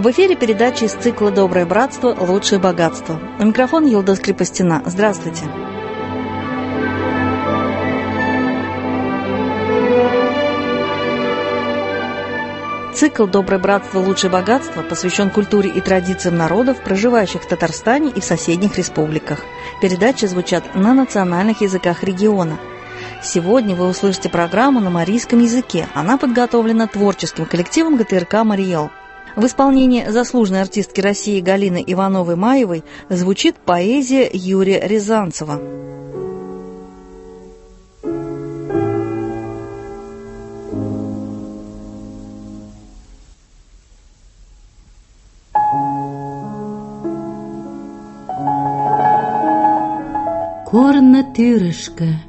В эфире передача из цикла «Доброе братство. Лучшее богатство». У микрофона Йылдыз Крепостина. Здравствуйте. Цикл «Доброе братство. Лучшее богатство» посвящен культуре и традициям народов, проживающих в Татарстане и в соседних республиках. Передачи звучат на национальных языках региона. Сегодня вы услышите программу на марийском языке. Она подготовлена творческим коллективом ГТРК «Мариэл». В исполнении заслуженной артистки России Галины Ивановой-Маевой звучит поэзия Юрия Рязанцева. Корно тӱрышкӧ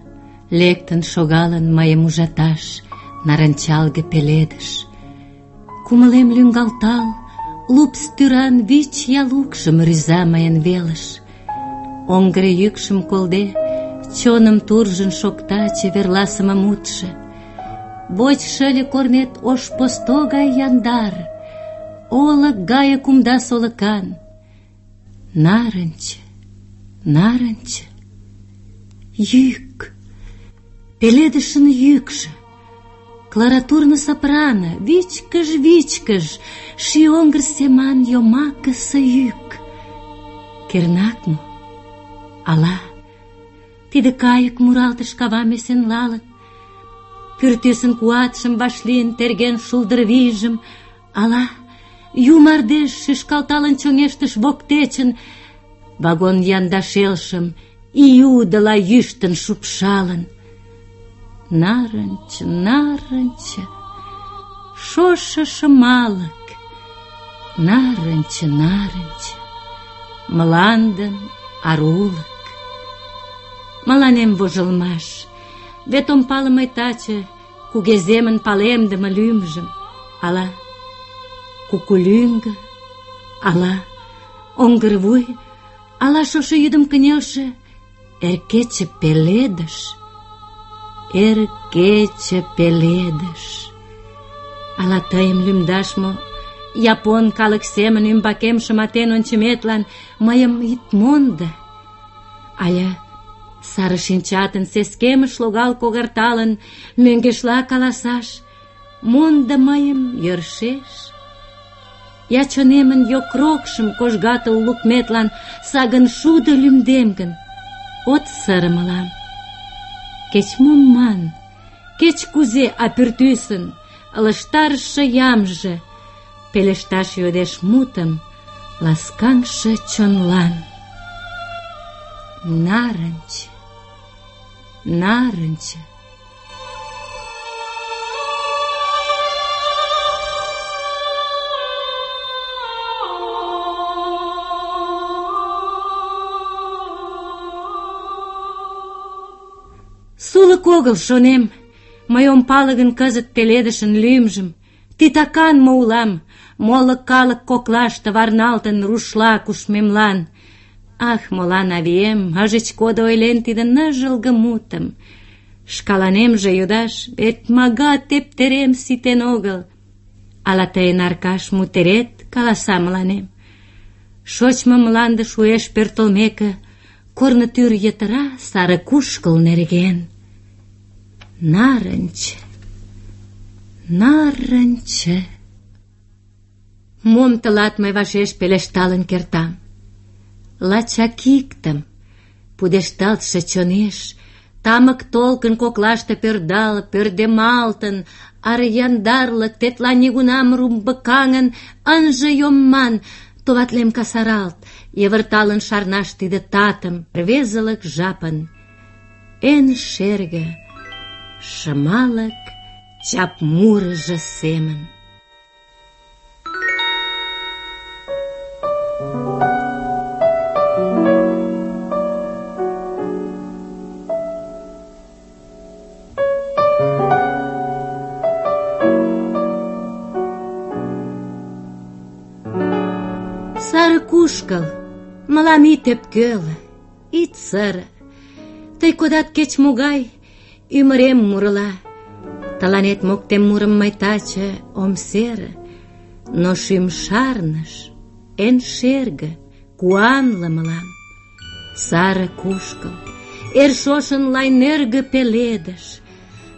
лектын шогалын мыйым ужаташ нарынчалге пеледыш. Кумылем лӱҥгалтал, лупс тӱран вич ял укшым рӱза мыйын велыш. Оҥгыр йӱкшым колде, чоным туржын шокта чеверласыме мутшо. Воч шыле корнет ош посто гай яндар, олык гае кумда солыкан. Нарынче, нарынче, йӱк, пеледышын йӱкшӧ, кларатурно сопрано, вичкыж-вичкыж, ший оҥгыр семан йомакысе йӱк. Кернак мо? Ала тиде кайык муралтыш кавам эсенлалын, пӱртӱсын куатшым вашлийын терген шулдыр вийжым, ала ю мардеж шӱшкалталын чоҥештыш воктечын, вагон янда шелшым июдыла йӱштын шупшалын. Нарынче, нарынче, шошо шымалык, нарынче, нарынче, мландын арулык. Мыланем вожылмаш, вет ом пале мый таче кугеземын палемдыме лӱмжым. Ала кукулӱҥгӧ, ала оҥгырвуй, ала шошо йӱдым кынелше эр кече пеледыш. Эр кече пеледыш. Ала тыйым лӱмдаш мо, япон калык семын ӱмбакем шыматен ончыметлан мыйым ит мондо. Ала сары шинчатын сескемыш логал когарталын, мӧҥгешла каласаш: мондо мыйым йӧршеш. Я чонемын йокрокшым кожгатыл лукметлан сагын шудо лӱмдем гын, от сыре мылам. Кеч-мом ман, кеч-кузе, а пӱртӱсын ылыжтарыше ямже пелешташ йодеш мутым ласкаҥше чонлан. Нарынче, нарынче. Сулык огыл, шонем, мый ом пале гын кызыт пеледышын лӱмжым. Титакан мо улам, моло калык коклаште варналтын рушла кушмемлан. Ах, молан авием ыжыч кодо ойлен тиде ныжылге мутым. Шкаланемже йодаш, вет мага тептерем ситен огыл. Ала тыйын Аркаш мутерет каласа мыланем? Шочмо мланде шуэш пӧртылмеке, корно тӱр йытыра сары кушкыл нерген. Нарынче, нарынче. Мом тылат мый вашеш пелешталын кертам? Лачак иктым, пудешталтше чонеш, тамык толкын коклаште пӧрдал, пӧрдемалтын, аре яндарлык тетла нигунам румбыкаҥын ынже йом ман, товатлем касаралт, йывырталын шарнаш тиде татым, рвезылык жапын. Эн шерге, шымалык чап мурыжо семын. Сары кушкыл, мылам ит ӧпкеле, ит сыре. Тый кодат кеч-могай ӱмырем мурыла. Тыланет моктем мурым мый таче ом сере. Но шӱм шарныш эн шерге, куанле мылам. Саре кушкыл, эр шошын лай нӧргӧ пеледыш.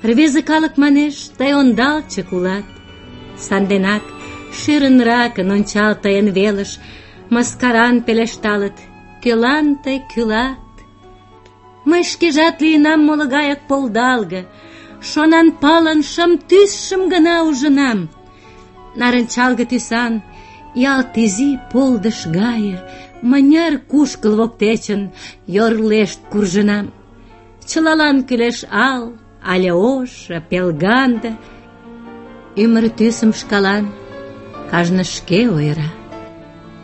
Рвезе калык манеш, тый ондалчык улат. Санденак шӧрынракын ончал тыйын велыш, мыскаран пелешталыт: кӧлан тый кӱлат? Мый шкежат лийынам моло гаяк полдалге, шонанпалын шым тӱсшым гына ужынам. Нарынчалге тӱсан, ялт изи полдыш гае, мыняр кушкыл воктечын йорлешт куржынам. Чылалан кӱлеш ал, але ош, пелганде. Ӱмыр тӱсым шкалан кажне шке ойыра.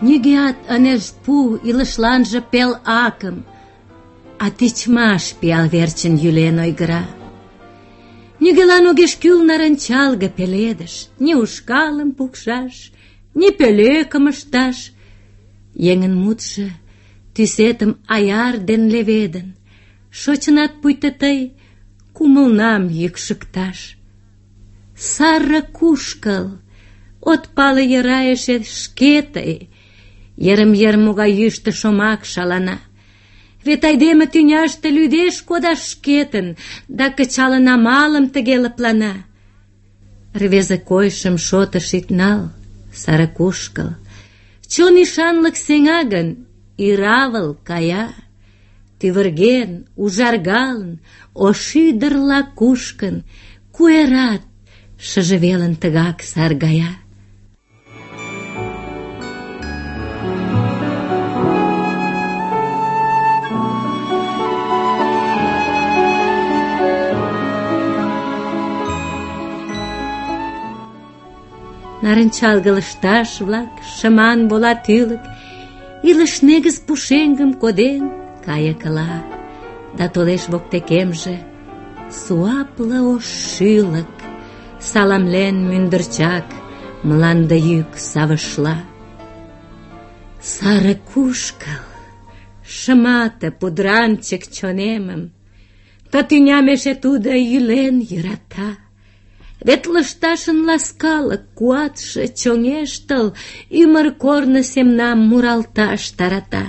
Нигӧат ынеж пу илышланже пел акым, а тичмаш пиал верчын йӱлен ойгыра. Нигӧлан огеш кӱл нарынчалге пеледыш, ни ушкалым пукшаш, ни пӧлекым ышташ. Еҥын мутшо тӱсетым аяр ден леведын, шочынат пуйто тый кумылнам йӱкшыкташ. Саре кушкыл, от пале йӧра эше шке тый, йырым-йыр могай йӱштӧ шомак шалана. Вет айдеме тӱняште лӱдеш кодаш шкетын, да кычалын амалым тыге лыплана. Рвезе койышым шотыш ит нал, саре кушкыл. Чон ӱшанлык сеҥа гын, иравыл кая. Тӱвырген, ужаргалын, ош ӱдырла кушкын, куэрат шыже велын тыгак саргая. Нарынчалге лышташ-влак, шыман вола тӱлык, илыш негыз пушеҥгым коден кайыкыла. Да толеш воктекемже суапле ош шӱлык, саламлен мӱндырчак мланде йӱк савышла. Саре кушкыл, шымате пудранчык чонемым, ты тӱням эше тудо йӱлен йӧрата. Вет лышташын ласкалык куатше чоҥештыл, ӱмыр корно семнам муралташ тарата.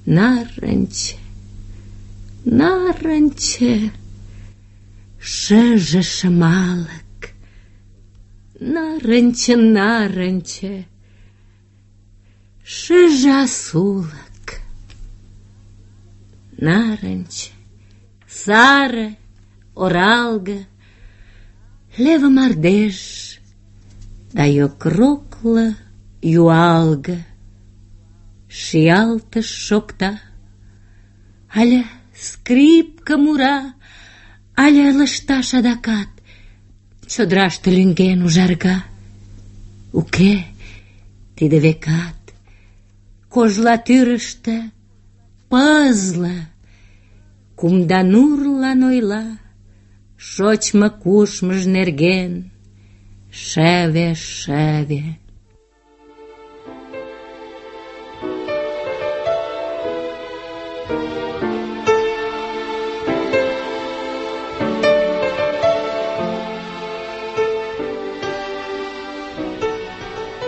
Нарынче, нарынче, шыже шымалык. Нарынче, нарынче, шыже асулык. Нарынче, саре, оралге, леве мардеж, да йокрокле юалге. Шиялтыш шокта, але скрипка мура, але лышташ адакат чодыраште лӱҥген ужарга. Уке, тиде векат кожла тӱрыштӧ пызле, кумда нурлан ойла шочмо-кушмыж нерген шеве-шеве.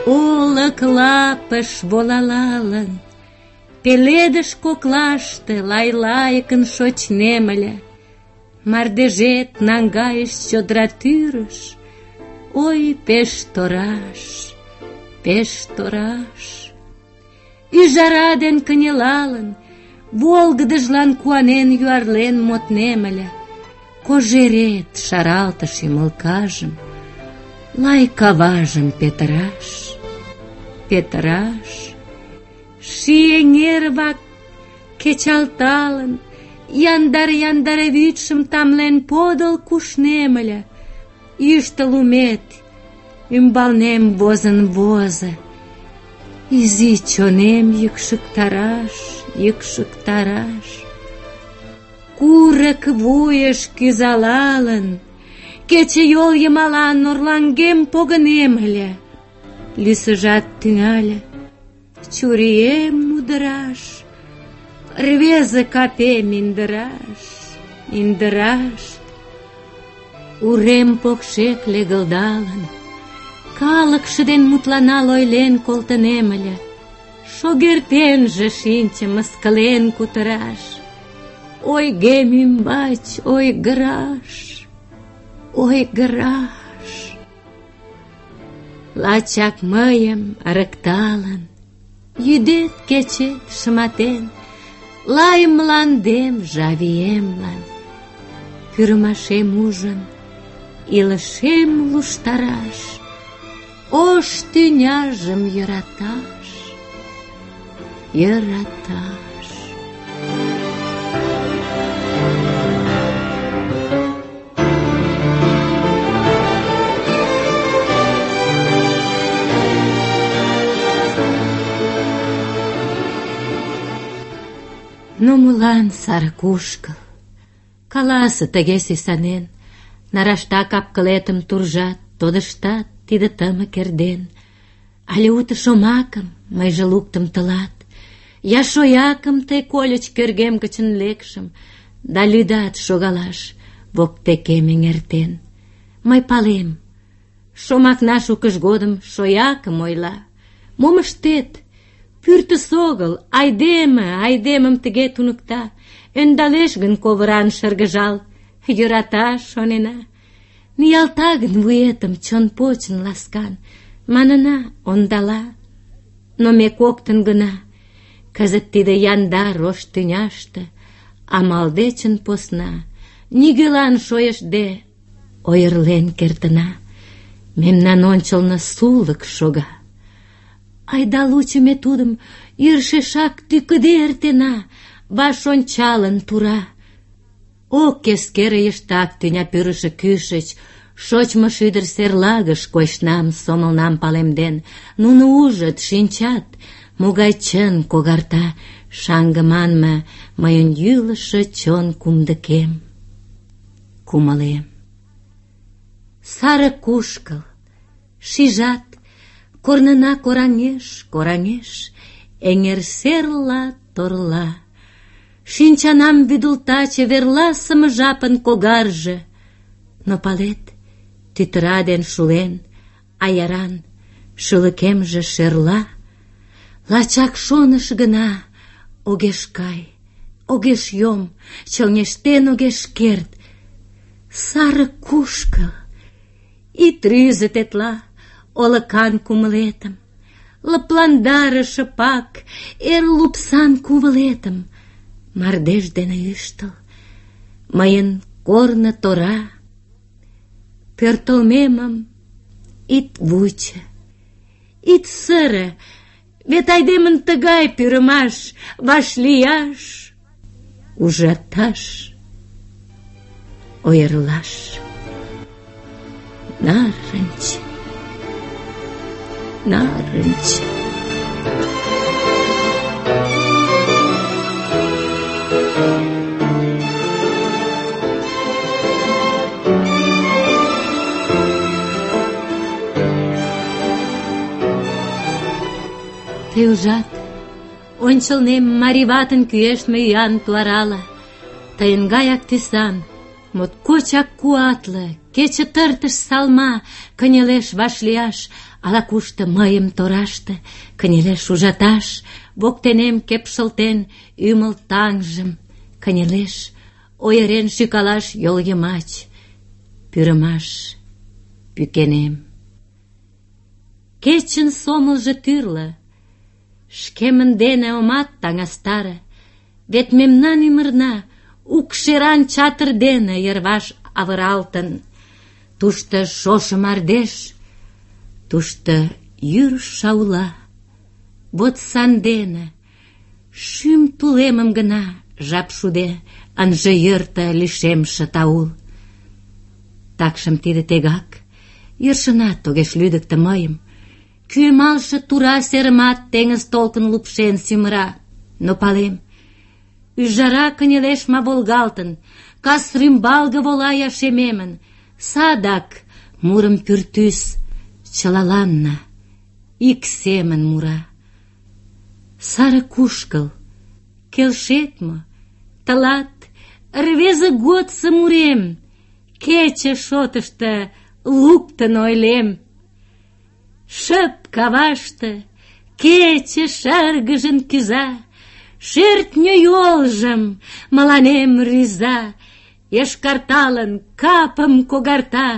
Олык лапыш волалалын, пеледыш коклаште лай-лайыкын шочнем ыле. Мардежет наҥгайыш чодыра тӱрыш, ой, пеш тораш, пеш тораш. Ӱжара ден кынелалын, волгыдыжлан куанен юарлен моднем ыле. Кожерет шаралтыш ӱмылкажым, лай каважым петыраш, петыраш. Ший эҥер-влак кечалталын, яндар-яндар вӱдшым тамлен подыл кушнем ыле. Йӱштӧ лумет ӱмбалнем возын возо, изи чонем йӱкшыктараш, йӱкшыктараш. Курык вуйыш кӱзалалын, кечыйол йымалан орлаҥгем погынем ыле. Лӱсыжат тӱҥале чурием мудыраш, рвезе капем индыраш, индыраш. Урем покшек легылдалын, Калыкше ден мутланал ойлен колтынем ыле, шогертенже шинче мыскылен кутыраш. Ойгем ӱмбач ойгыраш, ойгыраш. Лачак мыйым ырыкталын, йӱдет-кечет шыматен, лай мландем жавиемлан, пӱрымашем ужын, илышем луштараш, ош тӱняжым йӧраташ, йӧраташ. Но молан сар кушкыл? Каласе тыге сӱсанен, нарашта кап-кылетым туржат, тодыштат тиде тымык эрден. Але уто шомакым мыйже луктым тылат, я шоякым тый кольыч кӧргем гычын лекшым, да лӱдат шогалаш воктекем эҥертен. Мый палем, шомакна шукыж годым шоякым ойла. Мом ыштет? Пӱртӱс огыл, айдеме айдемым тыге туныкта. Ӧндалеш гын ковыран шыргыжал, йӧрата, шонена. Ниялта гын вуетым чон почын ласкан, манына, ондала. Но ме коктын гына кызыт тиде яндар ош тӱняште амал дечын посна, нигӧлан шойыштде ойырлен кертына. Мемнан ончылно сулык шога. Айда лучо ме тудым йӧршешак тӱкыде эртена, ваш ончалын тура. Ок эскере йыштак тӱня пӱрышӧ кӱшыч, шочмо шӱдыр серлагыш койышнам, сомылнам палемден. Нуно ужыт, шинчат, могай чын когарта шаҥге манме мыйын йӱлышӧ чон кумдыкем. Кумылем. Саре кушкыл, шижат, корнына кораҥеш, кораҥеш, эҥер серла торла. Шинчанам вӱдылта чеверласыме жапын когарже. Но палет, тӱтыра ден шулен, аяран шӱлыкемже шерла. Лачак шоныш гына огеш кай, огеш йом, чоҥештен огеш керт. Саре кушкыл, ит рӱзӧ тетла олыкан кумылетым, лыпландаре шыпак эр лупсан кувылетым. Мардеж дене ӱштыл мыйын корно тора. Пӧртылмемым ит вучо, ит сыре, вет айдемын тыгай пӱрымаш: вашлияш, ужаташ, ойырлаш. Нарынч, нарынч. Тый ужат, ончылнем марий ватын кӱэштме ӱян туарала. Тыйын гаяк тӱсан, моткочак куатле, кече тыртыш салма кынелеш вашлияш, ала-кушто мыйым тораште кынелеш ужаташ, воктенем кепшылтен ӱмыл таҥжым кынелеш ойырен шӱкалаш йол йымач. Пӱрымаш пӱкенем. Кечын сомылжо тӱрлӧ, шкемын дене омат таҥастаре, вет мемнан ӱмырна укшеран чатыр дене йырваш авыралтын. Тушто шошо мардеж, тушто йӱр шаула. Вот сандене шӱм тулемым гына жап шуде ынже йӧртӧ лишемше таул. Такшым тиде тегак йӧршынат огеш лӱдыктӧ мыйым. Кӱэмалше тура серымат теҥыз толкын лупшен сӱмыра. Но палем, ӱжара кынелеш ма волгалтын, кас рӱмбалге вола я шемемын. Садак мурым пӱртӱс чылаланна ик семын мура. Саре кушкыл, келшет мо? Тылат рвезе годсо мурем кече шотышто луктын ойлем. Шып каваште кече шыргыжын кӱза, шӧртньӧ йолжым мыланем рӱза, йошкарталын капым когарта,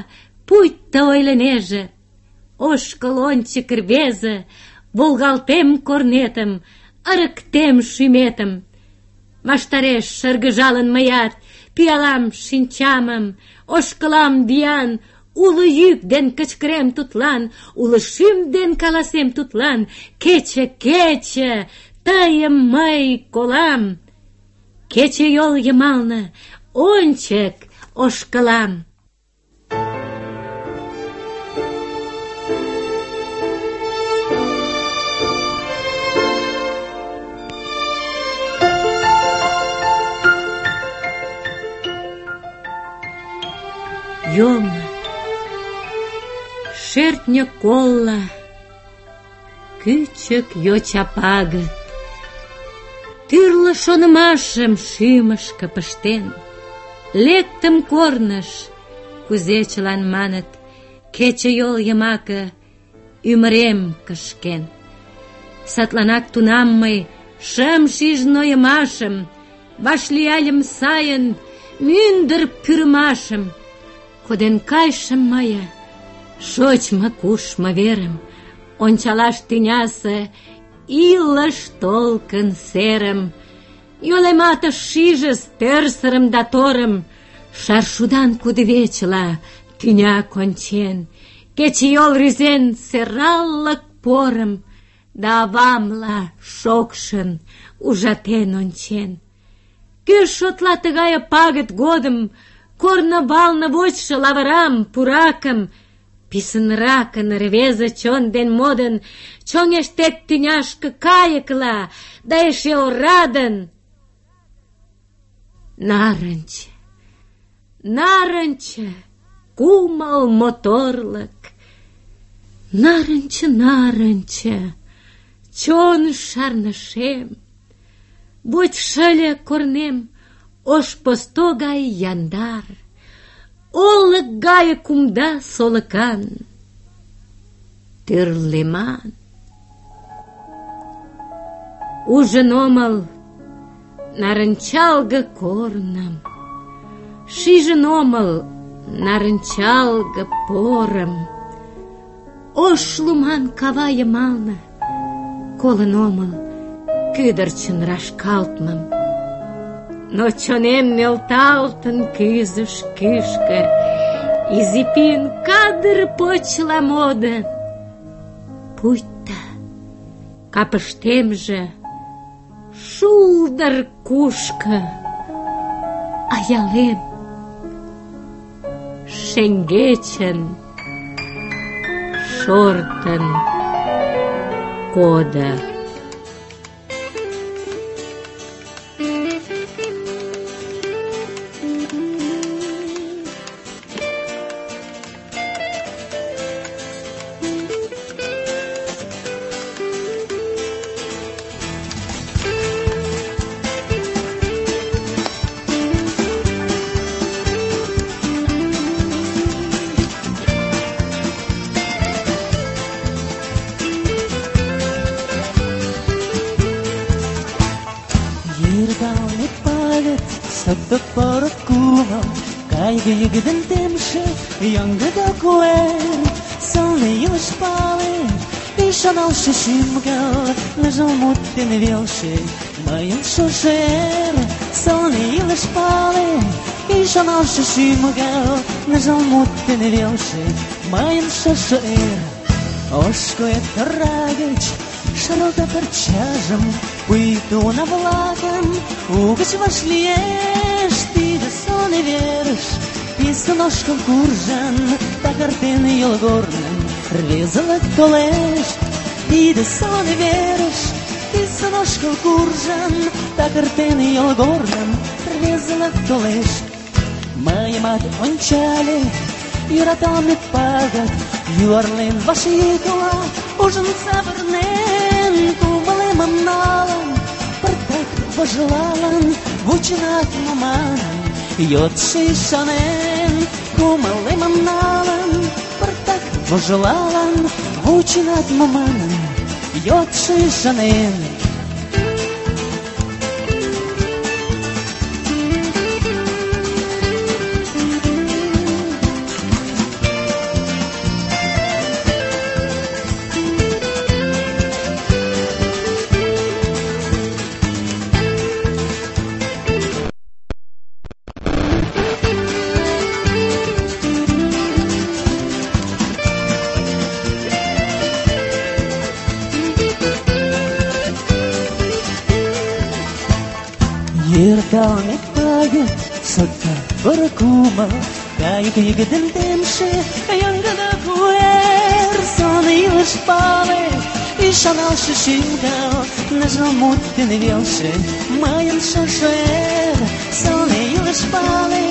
пуйто ойлынеже: ошкыл ончык, рвезе, волгалтем корнетым, ырыктем шӱметым. Ваштареш шыргыжалын мыят, пӱялам шинчамым, ошкылам виян, уло йӱк ден кычкырем тудлан, уло шӱм ден каласем тудлан: кече, кече, тыйым мый колам. Кече йол йымалне ончык ошкылам. Йомо, шӧртньӧ колла, кӱчык йоча пагыт, тӱрлӧ шонымашым шӱмышкӧ пыштен, лектым корныш, кузе чылан маныт, кече йол йымаке ӱмырем кышкен. Садланак тунам мый шым шиж нойымашым, вашлияльым сайын мӱндыр пӱрымашым. Коден кайышым мые шочмо-кушмо верым, ончалаш тӱнясе илыш толкын серым. Йолемат ыш шижыс тӧрсырым да торым, шаршудан кудывечыла тӱня кончен, кечыйол рӱзен сӧраллык порым, да авамла шокшын ужатен ончен. Кӧ шотла тыгае пагыт годым корно балне вочшо лавырам, пуракым? Писынракын рвезе чон ден модын чоҥештет тӱняшке кайыкла, да эше орадын. Нарынче, нарынче, кумыл моторлык. Нарынче, нарынче, чон шарнышем. Вочшо ыле корнем ош посто гай яндар, олык гае кумда солыкан, тӱрлеман. Ужын омыл нарынчалге корным, шижын омыл нарынчалге порым. Ош луман кава йымалне колын омыл кӱдырчын рашкалтмым. Но чонем нӧлталтын кӱзыш кӱшкӧ, изи пӱйын кадыр почла модын. Пуйто капыштемже шулдыр кушко, аялем шеҥгечын шортын кодо. Саптык порык кумыл, кайгы йыгыдын темше, яңгыда куэр, сылне илыш пале, ӱшаналше шӱм-гал, ныжыл мут дене велше, мыйын шошо эр. Сылне илыш пале, ӱшаналше шӱм-гал, ныжыл мут дене велше, мыйын шошо эр. Ош куэ тора гыч шаралта парчажым, пуйто уна-влакым угыч вашлиеш. Тиде сылне верыш писын ошкыл куржын, такыртен йолгорным рвезылык толеш. Тиде сылне верыш писын ошкыл куржын, такыртен йолгорным рвезылык толеш. Мыйымат ончале йӧраталме пагыт, юарлен вашйӱкла, ужын савырнен, кумылемым налын, пыртак вожылалын, вученат мо манын, йодшо ӱшанен. Кумылемым налын, пыртак вожылалын, Научинат маман йодши шанен. Ердалне тает сотта баракума, кайга егден темше, янгада куэр, сон илыш пале, и шанал шишинга, нажал муттен велше, майен шашер, сон илыш пале,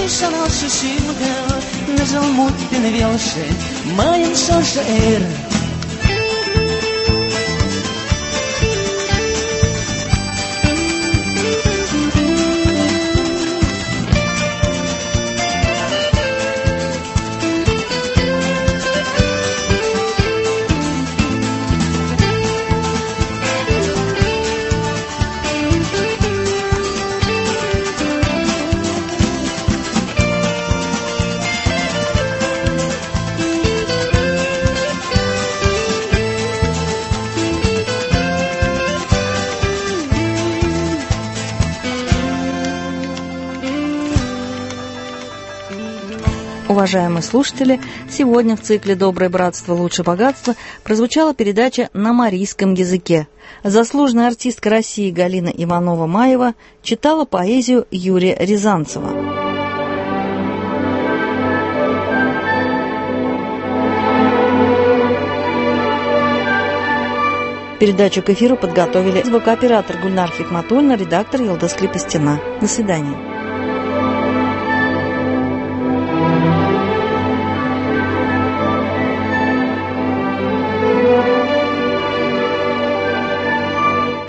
и шанал шишинга, нажал муттен велше, майен шашер. Уважаемые слушатели, сегодня в цикле «Доброе братство, лучше богатство» прозвучала передача на марийском языке. Заслуженная артистка России Галина Иванова-Маева читала поэзию Юрия Рязанцева. Передачу к эфиру подготовили звукооператор Гульнар Хикматульна, редактор Елдос Крепостина. До свидания.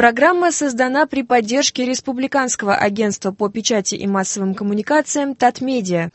Программа создана при поддержке Республиканского агентства по печати и массовым коммуникациям «Татмедиа».